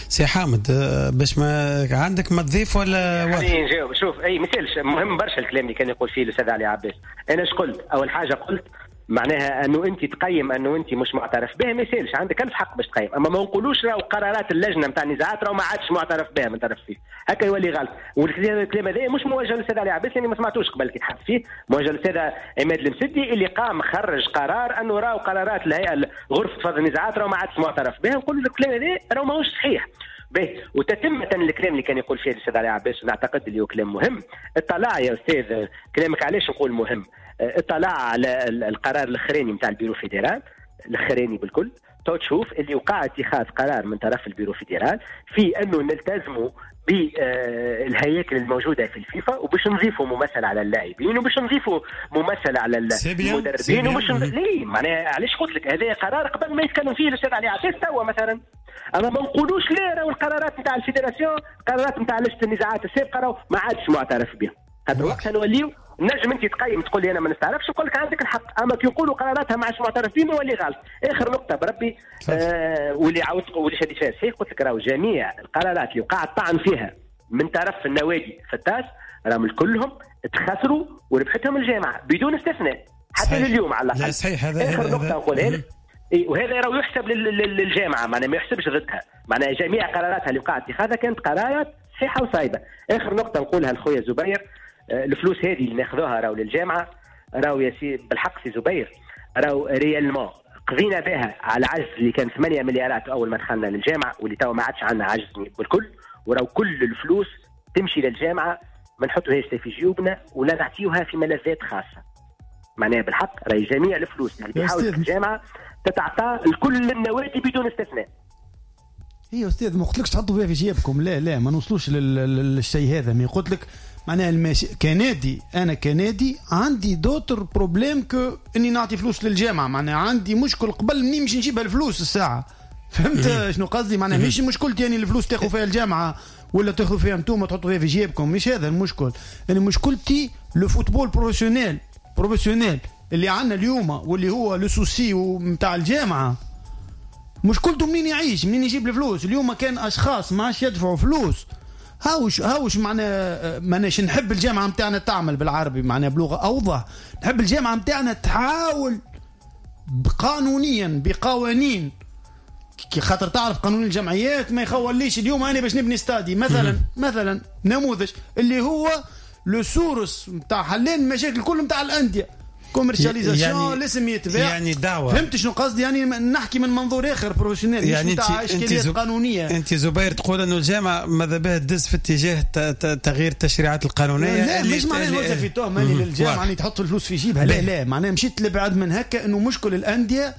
سي حامد باش ما عندك ما تضيف ولا خليني نجاوب. شوف أي مثال مهم برشا الكلام اللي كان يقول فيه الأستاذ علي عباس. أنا اش قلت؟ أول حاجة قلت معناها انه انت تقيم انه انت مش معترف به، ما يسالش، عندك الف حق باش تقيم، اما ما نقولوش راهو قرارات اللجنة نتاع النزاعات راهو ما عادش معترف بها من طرف فيه، هكا يولي غلط. والكلام هذا مش موجه للسيد علي عباس، يعني ما سمعتوش قبل كي تحدث فيه، موجه للسيد عماد المسدي اللي قام خرج قرار انه راهو قرارات الهيئة غرفة فض النزاعات راهو ما عادش معترف بها. نقول الكلام هذا راهو ماهوش صحيح. باهي، وتتمة الكلام اللي كان يقول فيه الاستاذ علي عباس، ونعتقد اللي هو كلام مهم. اطلع يا استاذ، كلامك علاش نقول مهم، اطلع على القرار الاخراني نتاع ال bureau fédéral الاخراني بالكل، تو تشوف اللي وقع اتخاذ قرار من طرف ال bureau fédéral في انه نلتزموا بالهياكل الموجودة في الفيفا، وباش نضيفوا ممثل على اللاعبين، وباش نضيفوا ممثل على المدربين، وباش ليه معناها علاش قلت لك هذا قرار قبل ما يتكلم فيه الاستاذ علي عباس توا مثلا. اما ما نقولوش لا راهو القرارات نتاع ال fédération، قرارات نتاع لجنة النزاعات السابقة راهو ما عادش معترف بها. خاطر وقتها نوليو نجم انت تقيم تقول لي انا ما نستعرفش، نقول لك عندك الحق، اما كي نقولوا قراراتها ما عادش معترف بها نولي غلط. اخر نقطة بربي واللي عاودت واللي شديت فيها صحيح، قلت لك راهو جميع القرارات اللي وقع الطعن فيها من طرف النوادي في التاس راهم كلهم تخسروا وربحتهم الجامعة بدون استثناء حتى لليوم على الاقل. صحيح. هذا اخر نقطة نقولها لك، وهذا راهو يحسب للجامعة، معناها ما يحسبش ضدها، معناها جميع قراراتها اللي وقع اتخاذها كانت قرارات صحيحه وصايبه. اخر نقطة نقولها لخويا زبير، الفلوس هذه اللي ناخذوها راهو للجامعة، راهو يا سي بالحق سي زبير، راهو réellement قضينا بها على عجز اللي كان 8 مليارات اول ما دخلنا للجامعة، واللي توا ما عادش عندنا عجز بالكل، وراهو كل الفلوس تمشي للجامعة، ما نحطوهاش في جيوبنا ولا نعطيوها في ملذات خاصة. معناها بالحق راهي جميع الفلوس اللي بيحاول الجامعة تتعطى لكل النوادي بدون استثناء. اي استاذ ما قلتلكش تحطوا فيها في جيبكم، لا لا ما نوصلوش للشيء هذا. mais قلت لك معناها الماشي كنادي، انا كنادي عندي d'autres problèmes que اني نعطي فلوس للجامعة، معناها عندي مشكل قبل منين باش نجيبها الفلوس الساعة. فهمت شنو قصدي؟ معناها مش مشكلتي يعني الفلوس تاخذ فيها الجامعة ولا تاخذوا فيها انتم تحطوا فيها في جيبكم، مش هذا المشكل. يعني مشكلتي le football professionnel اللي عندنا اليوم واللي هو le souci نتاع الجامعة، مشكلته منين يعيش، منين يجيب الفلوس. اليوم كان اشخاص ما عادش يدفعوا فلوس. هاوش معناها ماناش نحب الجامعة نتاعنا تعمل بالعربي، معناها بلغه اوضح، نحب الجامعة نتاعنا تحاول قانونيا بقوانين، كي خاطر تعرف قانون الجمعيات ما يخوليش اليوم انا باش نبني ستادي مثلا، مثلا نموذج اللي هو le source نتاع حلين المشاكل كل نتاع الاندية، commercialisation يعني الاسم يتباع، يعني دعوة. فهمت شنو قصدي؟ يعني نحكي من منظور اخر professionnel، يعني مش اشكاليات قانونية. انت زبير تقول انه الجامعة ماذا بها تدز في اتجاه تغيير التشريعات القانونية. لا مش معناها نوجه في تهمه للجامعة يعني تحط الفلوس في جيبها، لا لا، معناها مشيت لبعد من هكا انه مشكل الاندية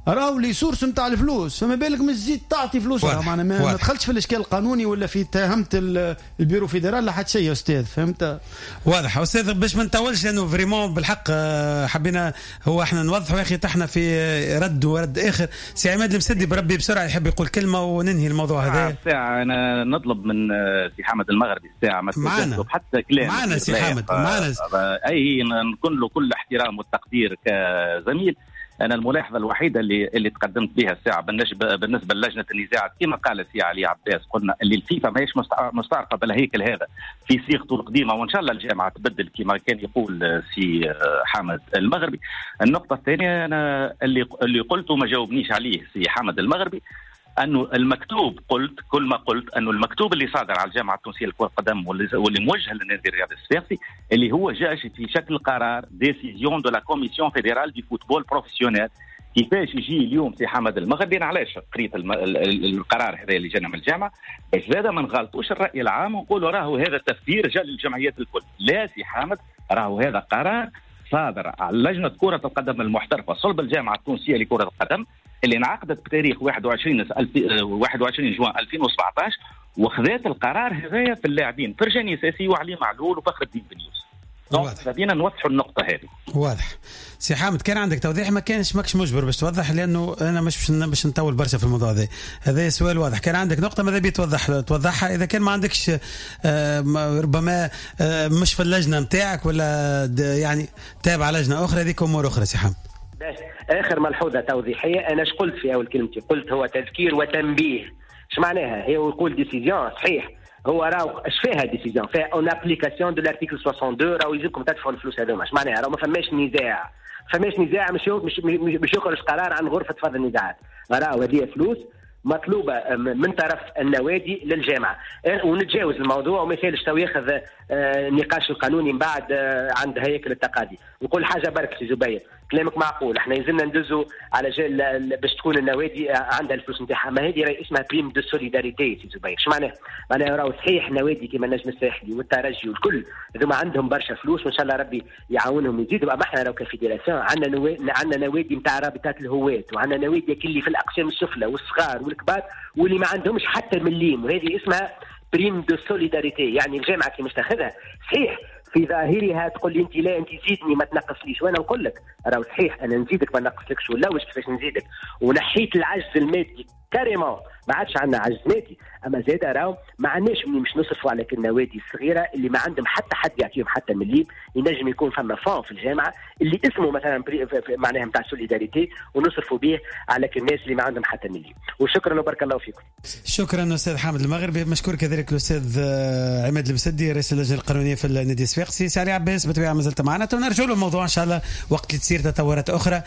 راهو les sources نتاع الفلوس، فما بالك مش تزيد تعطي فلوس. معناها ما دخلتش في الاشكال القانوني ولا في تهمت ال bureau fédéral لا حتى شيء يا استاذ. فهمت؟ واضح استاذ، باش ما نطولش لانه vraiment بالحق حبينا هو احنا نوضحوا يا اخي تحنا في رد ورد اخر. سي عماد المسدي بربي بسرعة يحب يقول كلمة وننهي الموضوع هذا. الساعة انا نطلب من سي حامد المغربي الساعة ما تطلب حتى كلام معنا سي حامد معنا، اي نكون له كل احترام والتقدير كزميل. أنا الملاحظة الوحيدة اللي تقدمت بها الساعة بالنسبة للجنة النزاعات كما قال سي علي عباس، قلنا اللي الفيفا ماهيش مستعرفة بالهيكل هذا في صيغته القديمة، وإن شاء الله الجامعة تبدل كما كان يقول سي حامد المغربي. النقطة الثانية أنا اللي قلته ما جاوبنيش عليه سي حامد المغربي، أنه المكتوب، قلت كل ما قلت أنه المكتوب اللي صادر على الجامعة التونسية لكرة القدم واللي موجه للنادي الرياضي الصفاقسي اللي هو جاء في شكل قرار décision de la commission fédérale du football professionnel. كيفاش يجي اليوم سي حمد المغربي؟ أنا علاش قريت القرار هذا اللي جانا من الجامعة باش زاد ما نغلطوش الرأي العام ونقولوا راهو هذا التفسير جاء للجمعيات الكل. لا سي حامد، راهو هذا قرار صادر على لجنة كرة القدم المحترفة صلب الجامعة التونسية لكرة القدم اللي انعقدت بتاريخ 21 جوان 2017، وخذات القرار هذايا في اللاعبين فرجاني ساسي وعلي معلول وفخر الدين بن يوسف. donc نوضحوا النقطة هذه. واضح سي حامد، كان عندك توضيح؟ ما كانش، ماكش مجبر باش توضح لأنه أنا مش باش نطول برشا في الموضوع هذا. هذا سؤال واضح. كان عندك نقطة ماذا بي توضحها، إذا كان ما عندكش ربما مش في اللجنة نتاعك ولا يعني تابع لجنة أخرى، هذيك أمور أخرى سي حامد. آخر ملحوظة توضيحية، أنا اش قلت في أول كلمتي؟ قلت هو تذكير وتنبيه. اش معناها؟ هي يقول décision صحيح، هو راهو اش فيها décision؟ فيها en application de l'article 62، راهو يلزمكم تدفعوا الفلوس هذوما. اش معناها؟ راهو ما فماش نزاع، فماش نزاع، مش يخرج قرار عن غرفة فض النزاعات. راهو هذه فلوس مطلوبه من طرف النوادي للجامعة. ونتجاوز الموضوع وما يسالش تو ياخذ النقاش القانوني من بعد عند هياكل التقاضي. نقول حاجة برك سي زبير، كلامك معقول، احنا يلزمنا ندزوا على جال باش تكون النوادي عندها الفلوس نتاعها، ما هذه راهي اسمها prime de solidarité سي زبير. اش معناها؟ معناها راهو صحيح نوادي كيما النجم الساحلي والترجي والكل هذوما عندهم برشا فلوس وان شاء الله ربي يعاونهم يزيدوا، اما احنا راهو ك fédération عندنا نوادي نتاع رابطات الهواة، وعندنا نوادي اللي في الاقسام السفلى والصغار والكبار واللي ما عندهمش حتى مليم، وهذه اسمها prime de solidarité. يعني الجامعة كي مش تاخذها صحيح في ظاهرها تقول لي انت لا انت زيدني ما تنقصليش، وانا نقول لك راهو صحيح انا نزيدك ما نقصلكش، ولا واش كيفاش نزيدك، ونحيت العجز المادي carrément، ما عادش عندنا عجز مادي، اما زاد راهو ما عندناش منين باش نصرفوا على النوادي الصغيرة اللي ما عندهم حتى حد يعطيهم حتى مليم. ينجم يكون فما fonds في الجامعة اللي اسمه مثلا معناها نتاع solidarité ونصرفوا به على الناس اللي ما عندهم حتى مليم. وشكرا وبارك الله فيكم. شكرا استاذ حامد المغربي، مشكور كذلك الاستاذ عماد المسدي رئيس اللجنة القانونية في النادي الصفاقسي. سي علي عباس بالطبيعة ما زلت معنا، ونرجع له الموضوع ان شاء الله وقت اللي تصير تطورات اخرى.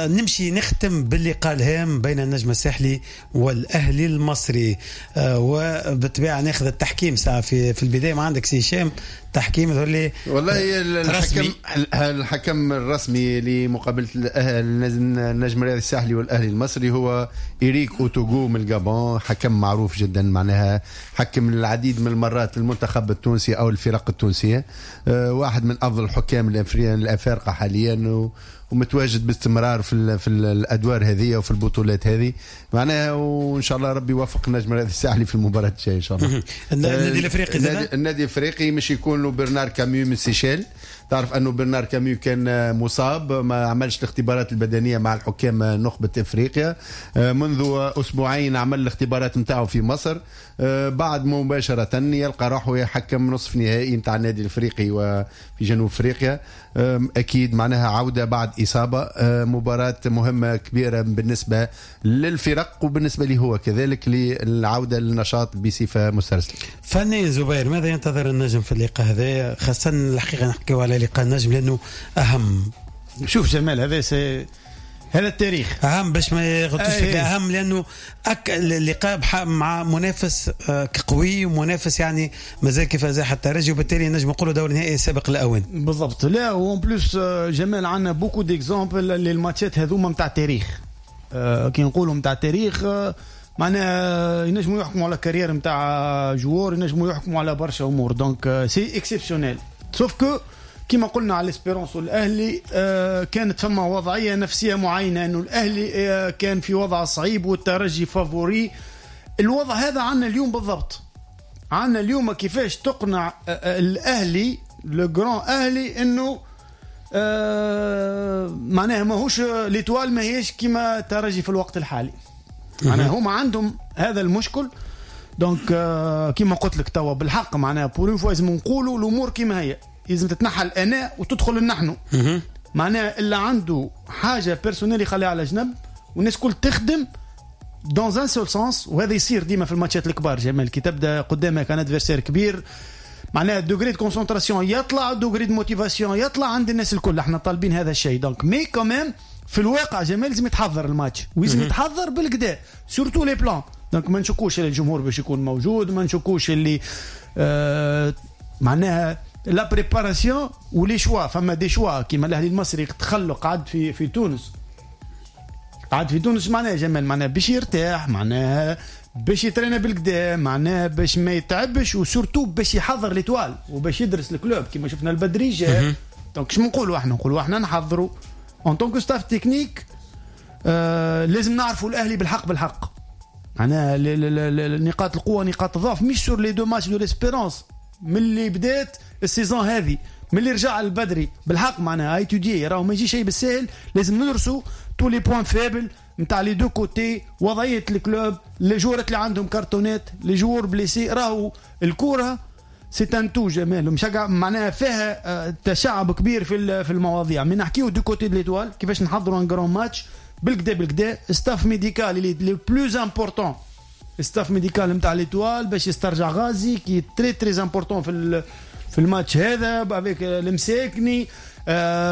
نمشي نختم باللقاء الهام بين النجم الساحلي والاهلي المصري، وبالطبيعه ناخذ التحكيم ساعة في البداية. ما عندك سي هشام تحكيم يظهر لي؟ والله الحكم الرسمي لمقابلة النجم الرياضي الساحلي والاهلي المصري هو إريك اوتوغو من الجابون، حكم معروف جدا، معناها حكم العديد من المرات المنتخب التونسي او الفرق التونسية، واحد من افضل الحكام الافارقة حاليا، ومتواجد باستمرار في الادوار هذه وفي البطولات هذه معناها، وان شاء الله ربي يوفق النجم الرياضي الساحلي في المباراة الجاية ان شاء الله. النادي الافريقي النادي الافريقي مش يكون له برنار كاميو من سيشيل. تعرف انه برنار كاميو كان مصاب، ما عملش الاختبارات البدنية مع الحكام نخبة افريقيا، منذ اسبوعين عمل الاختبارات نتاعو في مصر، بعد مباشرة يلقى روحه يحكم نصف نهائي نتاع النادي الافريقي وفي جنوب افريقيا. اكيد معناها عوده بعد اصابه، مباراة مهمة كبيرة بالنسبة للفرق وبالنسبة لي هو كذلك للعودة للنشاط بصفة مسترسله. فني زبير، ماذا ينتظر النجم في اللقاء هذا؟ خاصة الحقيقة نحكيو على لقاء النجم لانه اهم. شوف جمال، هذا التاريخ اهم باش ما يغلطوش فيك، اهم لانه اللقاء مع منافس قوي ومنافس يعني مازال كيف زاح الترجي، وبالتالي نجم نقولوا دور نهائي سابق الاوان. بالضبط. لا و en plus جمال عندنا beaucoup d'exemples للماتشات هذوما نتاع التاريخ. كي نقولوا نتاع التاريخ معناها ينجموا يحكموا على carrière نتاع joueur، ينجموا يحكموا على برشا امور، donc c'est exceptionnel. sauf que كما قلنا على l'Espérance والاهلي كانت فما وضعية نفسية معينة، انه الاهلي كان في وضع صعيب والترجي favori. الوضع هذا عندنا اليوم بالضبط، عندنا اليوم كيفاش تقنع الاهلي le grand اهلي انه معناها ماهوش l'Étoile، ماهيش كيما الترجي في الوقت الحالي، معناها هما عندهم هذا المشكل. donc كيما قلت لك توا بالحق معناها pour une fois لازم نقولوا الامور كيما هي، لازم تتنحى الانا وتدخل النحن. معناها اللي عنده حاجة personnelle يخليها على جنب، والناس كل تخدم dans un seul sens. وهذا يصير ديما في الماتشات الكبار جمال، كي تبدا قدامك un adversaire كبير معناها degré de concentration يطلع، degré de motivation يطلع عند الناس الكل. احنا طالبين هذا الشيء. donc mais quand même في الواقع جمال لازم يتحضر الماتش، ولازم يتحضر بالكدا surtout les plans. donc ما نشكوش اللي الجمهور باش يكون موجود، ما نشكوش اللي معناها la préparation و les choix. فما des choix كيما الاهلي المصري تخلق قعد في تونس، قعد في تونس معناها جمال، معناها باش يرتاح، معناها باش يترينا بالكدا، معناها باش ما يتعبش، و surtout باش يحضر l'Étoile وباش يدرس ال club كيما شفنا البدري جا. donc شنو نقولوا احنا؟ نقولوا احنا نحضروا en tant que staff technique. لازم نعرفوا الاهلي بالحق بالحق، معناها نقاط القوة نقاط الضعف، مش sur les deux matchs de l'Espérance من اللي بدات ال saison هذه، من اللي رجع البدري بالحق معناها étudier، راهو ما يجي شيء بالساهل، لازم ندرسوا tous les points faibles نتاع les deux côtés، وضعية ال club، les joueurs اللي عندهم كارتونات، les joueurs blessés. راهو الكورة c'est un tout جمال، مش معناها فيها تشعب كبير في المواضيع. من نحكيو du côté de l'Étoile كيفاش نحضروا un grand match بالكدا بالكدا، staff médical اللي le plus important، staff médical نتاع l'Étoile باش يسترجع غازي qui est très très important في الماتش هذا avec المساكني،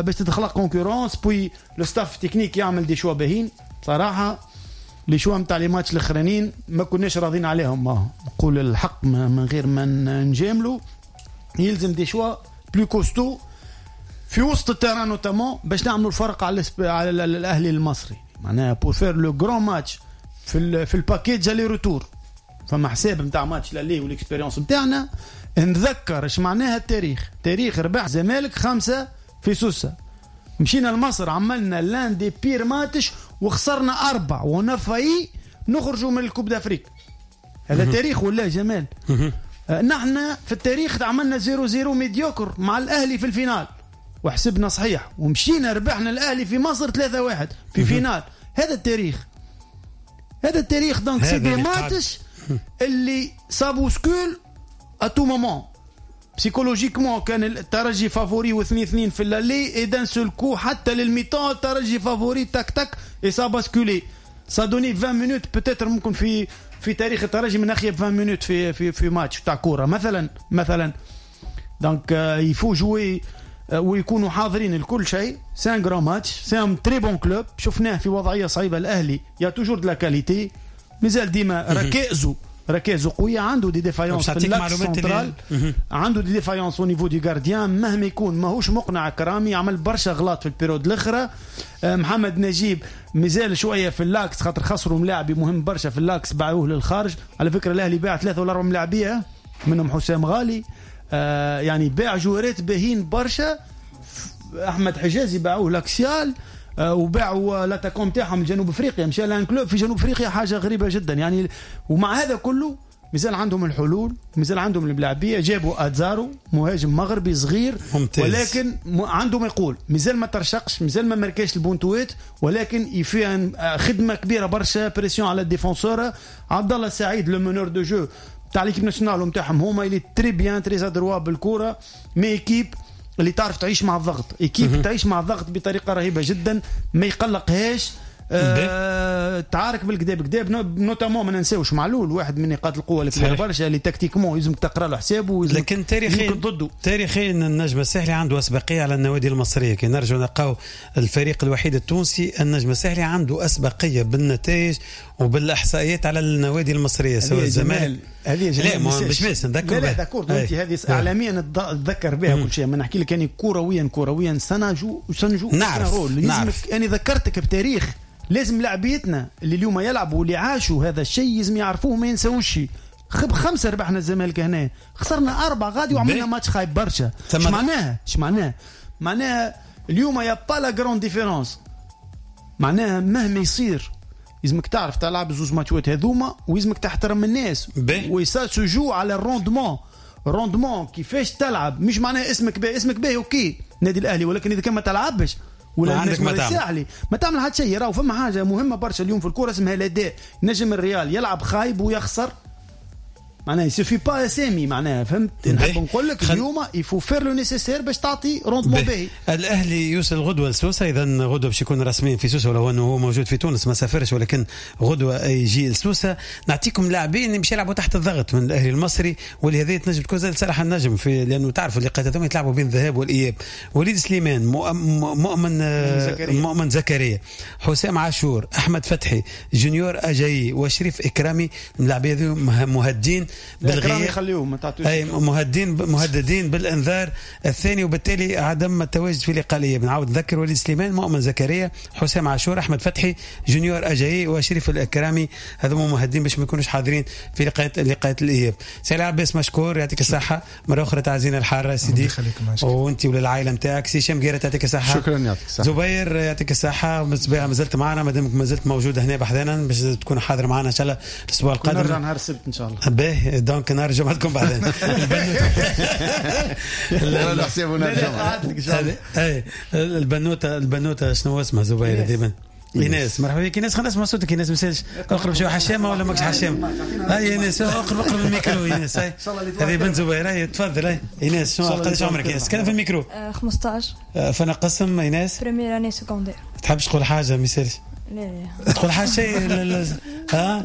باش تتخلق concurrence. puis le staff technique يعمل des choix باهين صراحة. les choix نتاع les matchs الاخرانيين ما كناش راضيين عليهم، ما نقول الحق من غير ما نجاملوا. يلزم des choix plus costauds في وسط ال terrain notamment باش نعملوا الفرق على الاهلي المصري، معناها pour faire le grand match في ال package aller-retour. فما حساب نتاع match l'aller وال expérience نتاعنا. نذكر اش معناها التاريخ، تاريخ ربح زمالك 5 في سوسة، مشينا لمصر عملنا l'un des pires matchs وخسرنا 4 و on a failli نخرجوا من ال Coupe d'Afrique. هذا تاريخ ولا جمال؟ نحن في التاريخ عملنا 0-0 médiocre مع الاهلي في ال finale وحسبنا صحيح، ومشينا ربحنا الاهلي في مصر 3-1 في finale. هذا التاريخ، هذا التاريخ. donc c'est des matchs اللي ça bouscule à tout moment psychologiquement. كان الترجي favori و2-2 في l'aller et d'un seul coup حتى لل mi-temps الترجي favori، tac tac et ça a basculé، ça a donné 20 minutes peut-être ممكن في تاريخ الترجي من اخيب 20 minutes في ماتش تاع كورة مثلا. donc il faut jouer ويكونوا حاضرين لكل شيء. c'est un grand match، c'est un très bon club. شفناه في وضعية صعيبة الاهلي، y a toujours de la qualité، مازال ديما ركائزه قويه، عنده des défaillances في l'axe central، عنده des défaillances au niveau du gardien. مهما يكون ماهوش مقنع كرامي، عمل برشا غلط في ال période الاخرى. محمد نجيب مازال شوية في l'axe خاطر خسروا ملاعبي مهم برشا في l'axe باعوه للخارج. على فكرة الاهلي باع 3 ولا 4 ملاعبيه منهم حسام غالي، يعني باع جوارات باهين برشا. احمد حجازي باعوه l'axial، وباعوا l'attaquant تاعهم لجنوب افريقيا، مشى ل un club في جنوب افريقيا، حاجة غريبة جدا يعني. ومع هذا كله مازال عندهم الحلول، مازال عندهم الملاعبيه. جابوا ازارو مهاجم مغربي صغير ممتاز، ولكن عنده ما يقول، مازال ما ترشقش، مازال ما مركاش البونتوات، ولكن فيها خدمة كبيرة برشا، pression على ال défenseurs. عبد الله السعيد le meneur de jeu تاع l'équipe nationale نتاعهم هما، il est très bien، très adroit بالكورة، mais équipe اللي تعرف تعيش مع الضغط، équipe تعيش مع الضغط بطريقة رهيبة جدا، ما يقلقهاش. تعارك بالكدا بالكدا، notamment ما ننساوش معلول، واحد من نقاط القوة اللي كبيرة برشا، اللي tactiquement لازمك تقرا له حسابه. لكن تاريخيا ضده. تاريخيا النجم الساحلي عنده اسبقيه على النوادي المصرية. كي نرجع نلقاو الفريق الوحيد التونسي النجم الساحلي عنده اسبقيه بالنتائج وبالاحصائيات على النوادي المصرية، سواء الزمالك. هذه لا مش بس نذكر، لا لا d'accord، انت هذه اعلاميا تذكر بها كل شيء. ما نحكي لك يعني كرويا سنجو نعرف. انا ذكرتك بتاريخ، لازم لاعبيتنا اللي اليوم يلعبوا واللي عاشوا هذا الشيء لازم يعرفوه ما ينساوش. 5 ربحنا الزمالك هنا، خسرنا 4 غادي وعملنا ماتش خايب برشا. اش معناها؟ اش معناها؟ معناها اليوم y a pas la grande différence. معناها مهما يصير لازمك تعرف تلعب زوز ماتشات هذوما، ولازمك تحترم الناس، و ça se joue على ال rendement. rendement كيفاش تلعب، مش معناها اسمك باهي، اسمك باهي OK نادي الاهلي، ولكن اذا كان ما تلعبش ولا عندك ما تعمل، ما تعمل حتى شيء. راهو فما حاجة مهمة برشا اليوم في الكورة اسمها الاداء. نجم الريال يلعب خايب ويخسر، معناها il suffit pas اسامي، معناها فهمت؟ نحب نقول لك اليوم il faut faire le nécessaire باش تعطي rendement باهي. الاهلي يوصل غدوه لسوسه، اذا غدوه باش يكون رسميا في سوسة، ولو انه هو موجود في تونس ما سافرش، ولكن غدوه يجي لسوسه. نعطيكم لاعبين باش يلعبوا تحت الضغط من الاهلي المصري، واللي هذه تنجم تكون زاد صالح النجم في، لانه تعرفوا اللقاءات هذوما يتلعبوا بين الذهاب والاياب. وليد سليمان، مؤمن زكريا، حسام عاشور، احمد فتحي، جونيور اجاي، وشريف اكرامي. اللاعبين هذو مهدين بالغياب، يخليهم ما تعطوش، اي مهددين بالانذار الثاني، وبالتالي عدم التواجد في لقاء الاياب. نعاود نذكر وليد سليمان، مؤمن زكريا، حسام عاشور، احمد فتحي، جونيور اجاي، وشريف الاكرامي، هذوما مهددين باش ما يكونوش حاضرين في لقاءات الاياب. سي عباس مشكور، يعطيك الصحة مرة اخرى، تعزينا الحارة سيدي وانت وللعائله نتاعك. سي هشام قيره يعطيك الصحة، شكرا، يعطيك الصحة. زبير يعطيك الصحة، مازلت معنا، مادامك مازلت موجود هنا بحذانا باش تكون حاضر معنا ان شاء الله الاسبوع القادم. نرجع نهار السبت ان شاء الله. باهي، donc نرجع معكم بعدين. البنوته شنو اسمها زبير ديما؟ ايناس، مرحبا بك ايناس، خلينا نسمع صوتك ايناس. مسالش اقرب شوية، حشامه ولا ماكش حشامه؟ هاي ايناس، اقرب الميكرو ايناس. هاي هذه بنت زبير، هاي تفضل. هاي ايناس، شنو قداش عمرك ايناس؟ تكلم في الميكرو. 15. فانا قسم ايناس؟ première année secondaire. تحبش تقول حاجة مسالش؟ لا تقول حاجة شيء. ها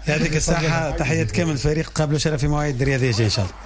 يعطيك الصحة، تحية كامل الفريق، قابلوا شرف في مواعيد الرياضية ان شاء الله.